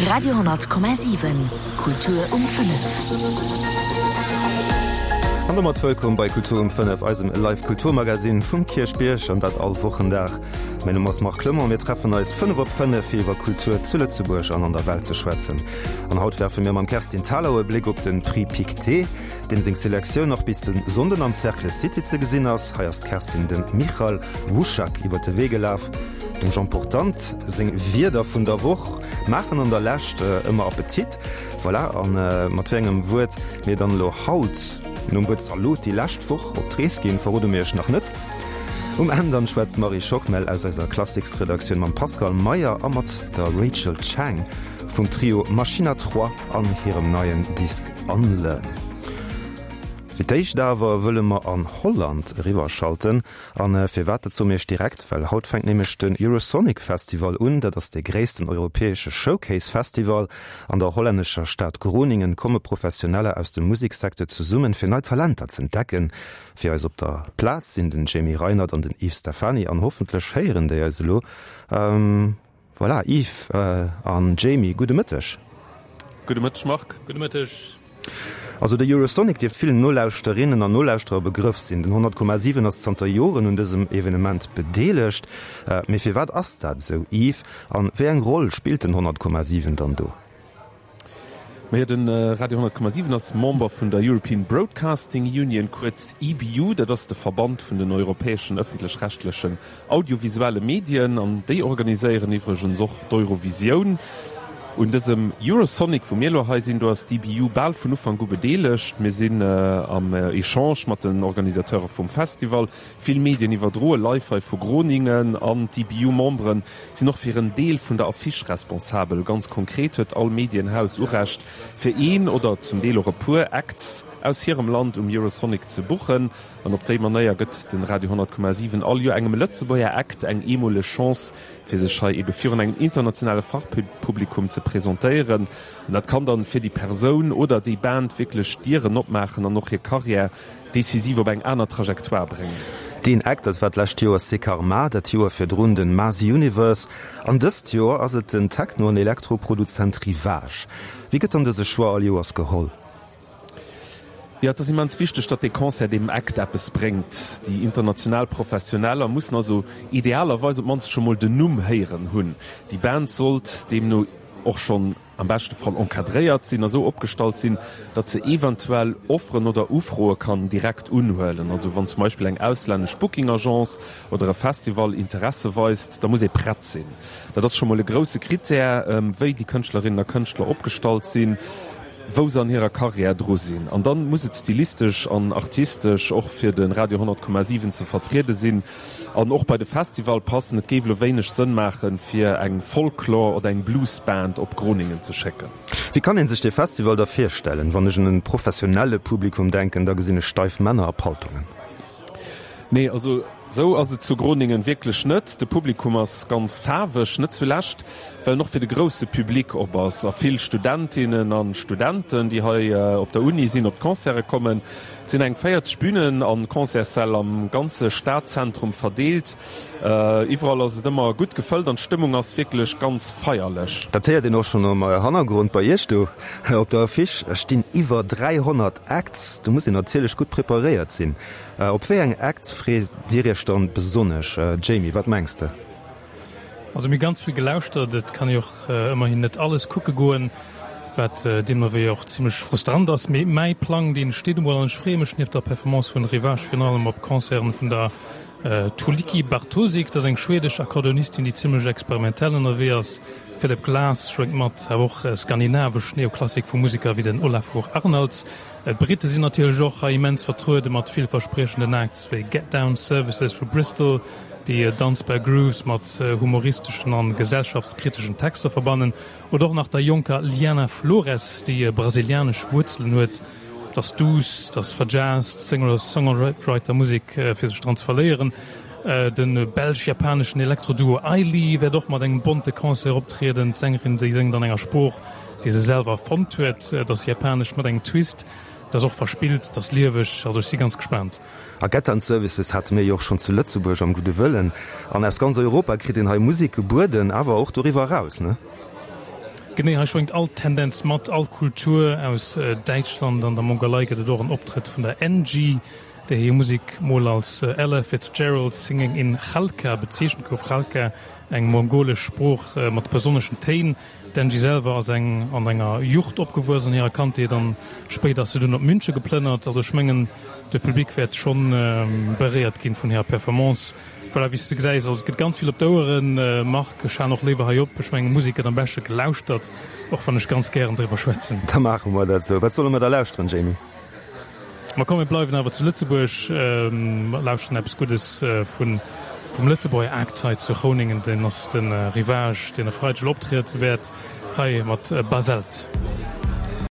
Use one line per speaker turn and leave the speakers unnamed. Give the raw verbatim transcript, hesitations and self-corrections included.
Radio honnert Komma siwen, Kultur um fënnef.
An domat wëllkomm bei Kultur um fënnef, eisem Live Kulturmagazin vum Kierchbierg, an dat all Wochendag. Mäin Numm ass Marc Clement, mir treffen eis fënnef op fënnef fir iwwer Kultur zu Lëtzebuerg an an der Welt ze schwätzen. An haut werfe mir mam Kerstin Thalau e Bléck op den Prix Pictet, deem seng Selektioun nach bis de Sonnden am Cercle City ze gesinn ass. Hei ass d'Kerstin dem Michal Wuschak iwwer de Wee gelaf. Dem Jean Portante seng Wierder vun der Woch maachen an der Lescht ëmmer Appetit. Voilà, a mat wéi engem Wuert mir dann elo haut nom Wuert Zalot déi lescht Woch op d'Rees ginn, verrode mir iech nach net. Um Enn dann schwätzt d'Marie Schockmel aus eiser Klassiksredaktioun mam Pascal Meyer a mat der Rachel Chang vum Trio Machine à Trois an hirem neien Disk Unlearn. Fir d'éischt awer wëlle mer an Holland eriwwerschalten. An firwat, dat soe mir iech direkt, well haut fänkt nämlech den Eurosonic Festival un. Dat ass dee gréissten europäesche Showcase Festival. An der hollännescher Stad Groningen komme Professioneller aus dem Museksecteur zesummen, fir nei Talenter z'entdecken. Fir eis op der Plaz sinn den Jamie Reinert an den Yves Stephany an hoffentlech héieren déi eis elo. Voilà, Yves an Jamie, gudde Mëtteg.
Gudde Mëtteg, Marc.
Gudde Mëtteg.
Also de Eurosonic dierft villen Nolauschterinnen an Nolauschterer e Begrëff sinn. Den honnert Komma siwen ass zanter Joren un dësem Evenement bedeelegt. Mee firwat ass dat esou, Yves? An wéi eng Roll spillt den honnert Komma siwen dann do?
Majo, de Radio honnert Komma siwen ass Member vun der European Broadcasting Union, kuerz E B U. Dat ass de Verband vun den europäeschen ëffentlech-rechtlechen audiovisuelle Medien. An déi organiséieren iwwregens och d'Eurovisioun. Un dësem Eurosonic, wou mir elo hei sinn, do ass d'E B U bal vun Ufank u bedeelegt. Mir sinn am Echange mat den Organisateure vum Festival. Vill Medien iwwerdroe live hei vu Groningen an d'E B U-Membere sinn och fir en Deel vun der Affiche responsabel. Ganz konkret huet all Medienhaus Urecht, fir een oder zum Deel och e puer Acts aus hirem Land um Eurosonic ze buchen. An op déi Manéier gëtt den Radio honnert Komma siwen all Joer engem Lëtzebuerger Act eng eemoleg Chance, fir sech hei ebe virun engem internationale Fachpublikum ze presentéieren. An dat kann dann fir déi Persoun oder déi Band wierklech Dieren opmaachen an och hir Karriär decisiv op eng aner Trajectoire bréngen.
Deen Act, dat war d'lescht Joer Sekarma, dat Joer virdrun den Masi Universe an dëst Joer ass et den Techno an Elektroproduzent Rivage. Wéi gëtt dann dëse Choix all Joers geholl?
Jo, et ass immens wichteg, datt dee Concert deem Act eppes bréngt. Déi international Professioneller mussen also idealerweis op d'mannst scho mol den Numm héieren hunn. Déi Band sollt deemno och schonn am beschte Fall encadréiert sinn a sou opgestallt sinn, datt se eventuell Offeren oder Ufroe kann direkt unhuelen. Also wann zum Beispill eng auslännesch Booking-Agence oder e Festival Interesse weist, da muss ee prett sinn. Dat ass scho mol e grousse Krittär, wéi déi Kënschtlerinnen a Kënschtler opgestallt sinn, wou se an hirer Karriär dru sinn. An dann muss et stilistesch an artistesch och fir de Radio honnert Komma siwen ze vertriede sinn an och bei de Festival passen. Et géif elo wéineg Sënn maachen, fir eng Folklore oder eng Bluesband op Groningen ze schécken.
Wéi kann ee sech dee Festival da virstellen? Wann ech un e professionelle Publikum denken, da gesinn ech steif Männer a Paltongen.
Nee, also sou ass et zu Groningen wierklech net. De Publikum ass ganz faarweg, net zulescht well en och fir de grousse Public op ass a vill Studentinnen an Studenten, déi hei op der Uni sinn, op d'Concerte kommen. Et sinn eng véierzeg Bünen an Concertssäll am ganze Stadzentrum verdeelt. Iwwerall ass et ëmmer gutt gefëllt an d'Stëmmung ass wierklech ganz feierlech.
Dat héiert een och schonn am Hannergrond bei Iech do op der Affiche stinn iwwer dräihonnert Acts. Do muss een natierlech gutt preparéiert sinn. Op wéi eng Acts freet Dir Iech dann besonnesch? Jamie, wat mengs de?
Also mir hu ganz vill gelauschtert. Et kann ee och ëmmerhin net alles kucke goen, wat deemno wéi och zimmlech frustrant ass. Mee mäi Plang, dee steet emol an ech freeë mech nieft der Performance vun Rivage virun allem op Concerten vun der Tuulikki Bartosik. Dat ass eng schwedesch Akkordeonistin, déi zimmlech experimentell ënnerwee ass. Philip Glass schwéngt mat, awer och skandinavesch Neoklassik vu Museker wéi den Olafur Arnalds. D'Britte sinn natierlech och hei immens vertruede mat villverspriechenden Acts wéi Get Down Services vu Bristol, déi danzbar Grooves mat humoristeschen an gesellschaftskriteschen Texter verbannen, oder och nach der jonker Liana Flores, déi brasilianesch Wuerzelen huet. Et ass duuss, et ass verjazzt, Singer-Songwriter-Musek fir sech dran ze verléieren. De belsch-japaneschen Elektro-Duo Aili wäert och mat engem bonte Concert optrieden. D'Sängerin, déi séngt an enger Sprooch, déi se selwer erfonnt huet. Et ass japanesch mat engem Twist. Et ass och verspillt, et ass lieweg. Also ech si ganz gespaant.
A Gettan Services hate mir jo och schonn zu Lëtzebuerg am Gudde Wëllen. An aus ganz Europa kritt een hei Musek gebueden, awer och doriwwer eraus, ne?
Genee, hei schwéngt all Tendenz mat, all Kultur. Aus Däitschland an der Mongolei gëtt et och en Optrëtt vun der Angie, där hir Musek mol als Ella Fitzgerald singing in Khalkha bezeechent gouf. Khalkha, eng mongolesch Sprooch mat besonneschen Téin. D'Angie selwer ass eng an enger Jucht opgewuess an hirer Kandheet an spéider ass se dunn op Münche geplënnert. Also ech mengen, de Public wäert schonn beréiert ginn vun hirer Performance. Voilà, wéi s de gesäis, also et gëtt ganz vill op d'Oueren. Marc, ech halen och léiwer hei op. Ech mengen, Musek gëtt am beschte gelauschtert, och wann ech ganz gären driwwer schwätzen.
Da maache mer dat esou. Wat solle mer da lauschteren, Jamie?
Ma komm, mir bleiwen awer zu Lëtzebuerg, lauschteren eppes Guddes vun vum Lëtzebuerger Act hei zu Groningen. Deen ass de Rivage, deen e Freideg elo optriede wäert, hei mat Basalt.